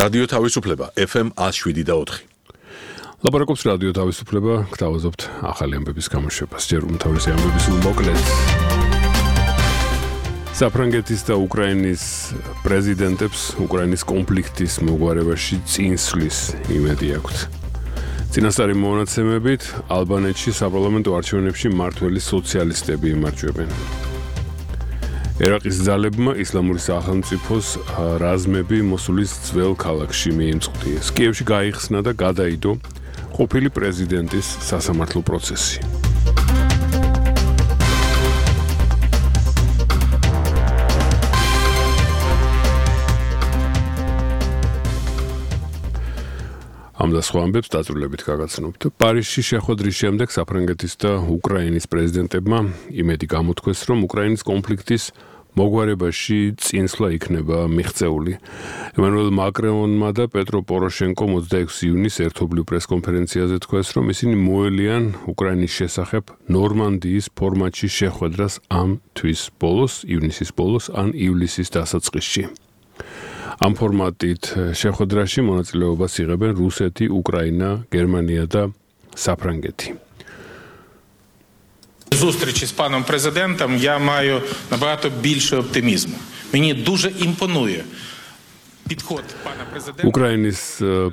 რადიო თავისუფლება FM 107.4. ლაპარაკობს რადიო თავისუფლება, გთავაზობთ ახალი ამბების გამოშვებას. ჯერ უმთავრესი ამბების მოკლედ. საფრანგეთის და უკრაინის პრეზიდენტებს უკრაინის კონფლიქტის მოგვარებაში წინსვლის იმედი აქვთ. წინასწარი მონაცემებით ალბანეთში საპარლამენტო არჩევნებში მმართველი სოციალისტები იმარჯვებენ. ერაყის ძალებმა ისლამური სახელმწიფოს რაზმები მოსულის ძველ ქალაქში მიემწყდიეს. კიევში გაიხსნა და გადაიდო ყოფილი პრეზიდენტის სასამართლო პროცესი. ამ და სხვა ამბებს დაწვრილებით გაგაცნობთ. პარიზში შეხვედრის შემდეგ საფრანგეთის და უკრაინის პრეზიდენტებმა იმედი გამოთქვეს, რომ უკრაინის კონფლიქტის მოგვარებაში წინსვლა იქნება მიღწეული. ემანუელ მაკრონმა და პეტრო პოროშენკომ 26 იუნის ერთობლივ პრესკონფერენციაზე თქვეს, რომ ისინი მოელიან უკრაინის შესახებ ნორმანდიის ფორმატში შეხვედრას ამ თვის ბოლოს, ივნისის ბოლოს ან ივლისის დასაწყისში. ამ ფორმატით შეხვედრაში მონაწილეობას იღებენ რუსეთი, უკრაინა, გერმანია და საფრანგეთი. Зустрічі з паном президентом я маю набагато більше оптимізму. Мені дуже імпонує підход пана президента. უკრაინის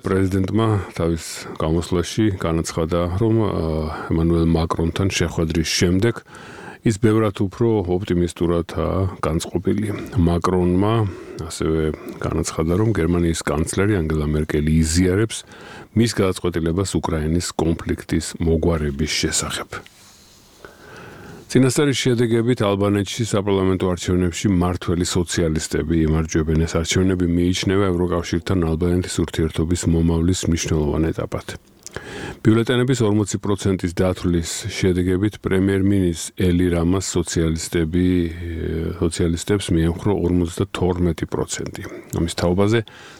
პრეზიდენტმა თავის გამოსვლაში განაცხადა, რომ ემანუელ მაკრონთან შეხვედრის შემდეგ ის ბევრად უფრო ოპტიმისტურადაა განწყობილი. მაკრონმა ასევე განაცხადა, რომ გერმანიის კანცლერი ანგელა მერკელი იზიარებს მის გადაწყვეტილებას უკრაინის კონფლიქტის მოგვარების შესახებ. წინასწარი შედეგებით ალბანეთში საპარლამენტო არჩევნებში მმართველი სოციალისტები იმარჯვებენ. ეს არჩევნები მიიჩნევა ევროკავშირთან ალბანეთის ურთიერთობის მომავლის მნიშვნელოვან ეტაპად. ბიულეტენების 40%-ის დათვლის შედეგებით პრემიერ-მინისტრ ელი რამას სოციალისტებს მიემხრო 52%. ამის თაობაზე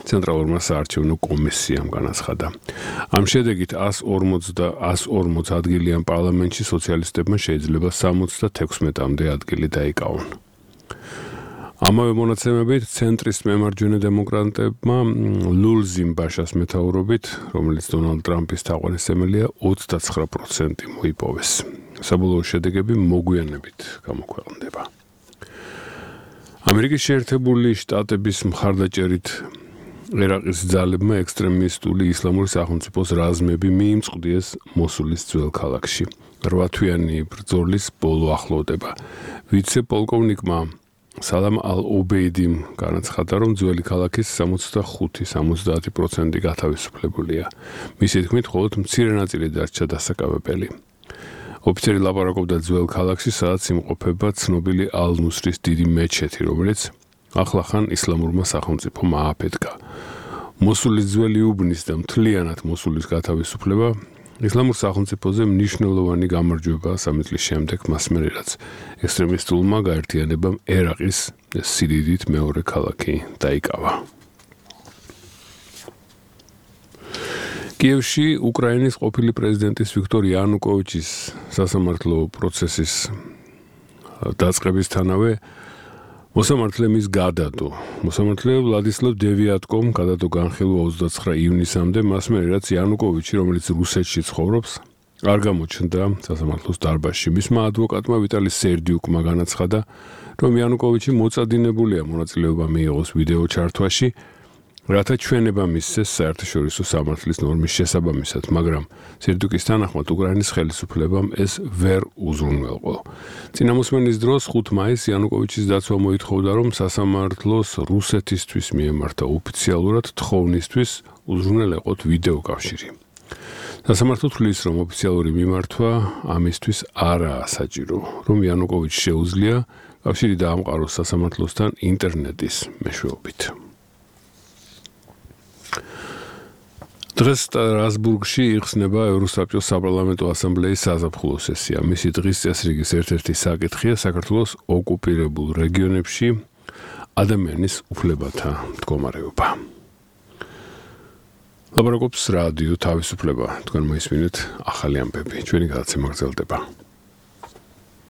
ცენტრალურმა საარჩევნო კომისიამ განაცხადა. ამ შედეგით 140 ადგილიან პარლამენტში სოციალისტებმა შეიძლება 76-მდე ადგილი დაიკავონ. ამავე მონაცემებით ცენტრის მემარჯვენე დემოკრატებმა ლულზიმ ბაშას მეთაურობით, რომელიც დონალდ ტრამპის თაყვანისმცემელია, 29% მოიპოვეს. საბოლოო შედეგები მოგვიანებით გამოქვეყნდება. ამერიკის შეერთებული შტატების მხარდაჭერით ერაყის ძალებმა ექსტრემისტული ისლამური სახელმწიფოს რაზმები მიიმწყდიეს მოსულის ძველ ქალაქში. 8 თვიანი ბრძოლის ბოლო ახლოვდება. ვიცე-პოლკოვნიკმა სალამ ალ-ობეიდიმ განაცხადა, რომ ძველი ქალაქის 65-70% გათავისუფლებულია. მისი თქმით, მხოლოდ მცირე ნაწილი დარჩა დასაკავებელი. ოფიცერი ლაპარაკობდა ძველ ქალაქში, სადაც იმყოფება ცნობილი ალ-ნუსრის დიდი მეჩეთი, რომელიც ახლახან ისლამურმა სახელმწიფომ ააფეთქა. მოსულის ძველი უბნის და მთლიანად მოსულის გათავისუფლება ისლამურ სახელმწიფოზე მნიშვნელოვანი გამარჯვება 3 წლის შემდეგ, მას მერე რაც ექსტრემისტულმა გაერთიანებამ ერაყის სიდიდით მეორე ქალაქი დაიკავა. კიევში უკრაინის ყოფილი პრეზიდენტის ვიქტორ იანუკოვიჩის სასამართლო პროცესის დაწყებისთანავე მოსამართლე მის გადადო. მოსამართლე ვლადისლავ დევიატკომ გადადო განხილვა 29 ივნისამდე, მას მერე რაც იანუკოვიჩი, რომელიც რუსეთში ცხოვრობს, არ გამოჩნდა სასამართლოს დარბაზში. მისმა ადვოკატმა ვიტალი სერდიუკმა განაცხადა, რომ იანუკოვიჩი მოწადინებულია მონაწილეობა მიიღოს ვიდეო ჩართვაში, რათა ჩვენება მისცეს საერთაშორისო სამართლის ნორმის შესაბამისად, მაგრამ სერდიუკის თანახმად უკრაინის ხელისუფლებამ ეს ვერ უზრუნველყო. წინამოსმენის დროს 5 მაისს იანუკოვიჩის დაცვა მოითხოვდა, რომ სასამართლოს რუსეთისთვის მიემართა ოფიციალურად თხოვნისთვის უზრუნველეყოთ ვიდეო კავშირი. სასამართლო თვლის, რომ ოფიციალური მიმართვა ამისთვის არაა საჭირო, რომ იანუკოვიჩს შეუძლია კავშირი დაამყაროს სასამართლოსთან ინტერნეტის მეშვეობით. დღეს სტრასბურგში იხსნება ევროსაბჭოს საპარლამენტო ასამბლეის საზაფხულო სესია. მისი დღის წესრიგის ერთ-ერთი საკითხია საქართველოს ოკუპირებულ რეგიონებში ადამიანის უფლებათა მდგომარეობა. ლაპარაკობს რადიო თავისუფლება. თქვენ მოისმინეთ ახალი ამბები. ჩვენი გადაცემა გრძელდება.